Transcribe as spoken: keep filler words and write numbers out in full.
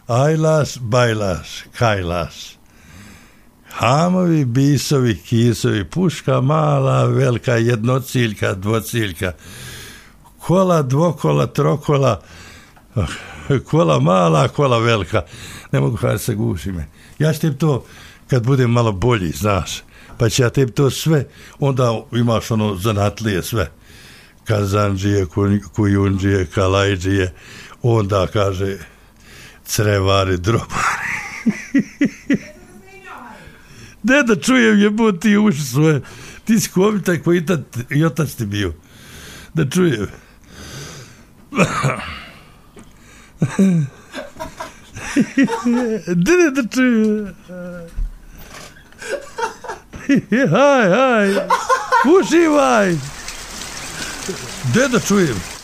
Ajlas, bajlas, kajlas. Hamovi, bisovi, kisovi, puška mala, velika, jednociljka, dvociljka, kola, dvokola, trokola, kola mala, kola velika. Ne mogu kada se guši me. Ja ću tebi to, kad budem malo bolji, znaš, pa će ja tebi to sve, onda imaš ono zanatlije sve. Kazanđije, kujundžije, kalajđije, onda kaže crevari, drobari. Ne da čujem jebut ti uši svoje. Ti si komitaj koji i otac ti bio. Da čujem. Ne da čujem. Haj, haj. Uživaj. Ne da čujem.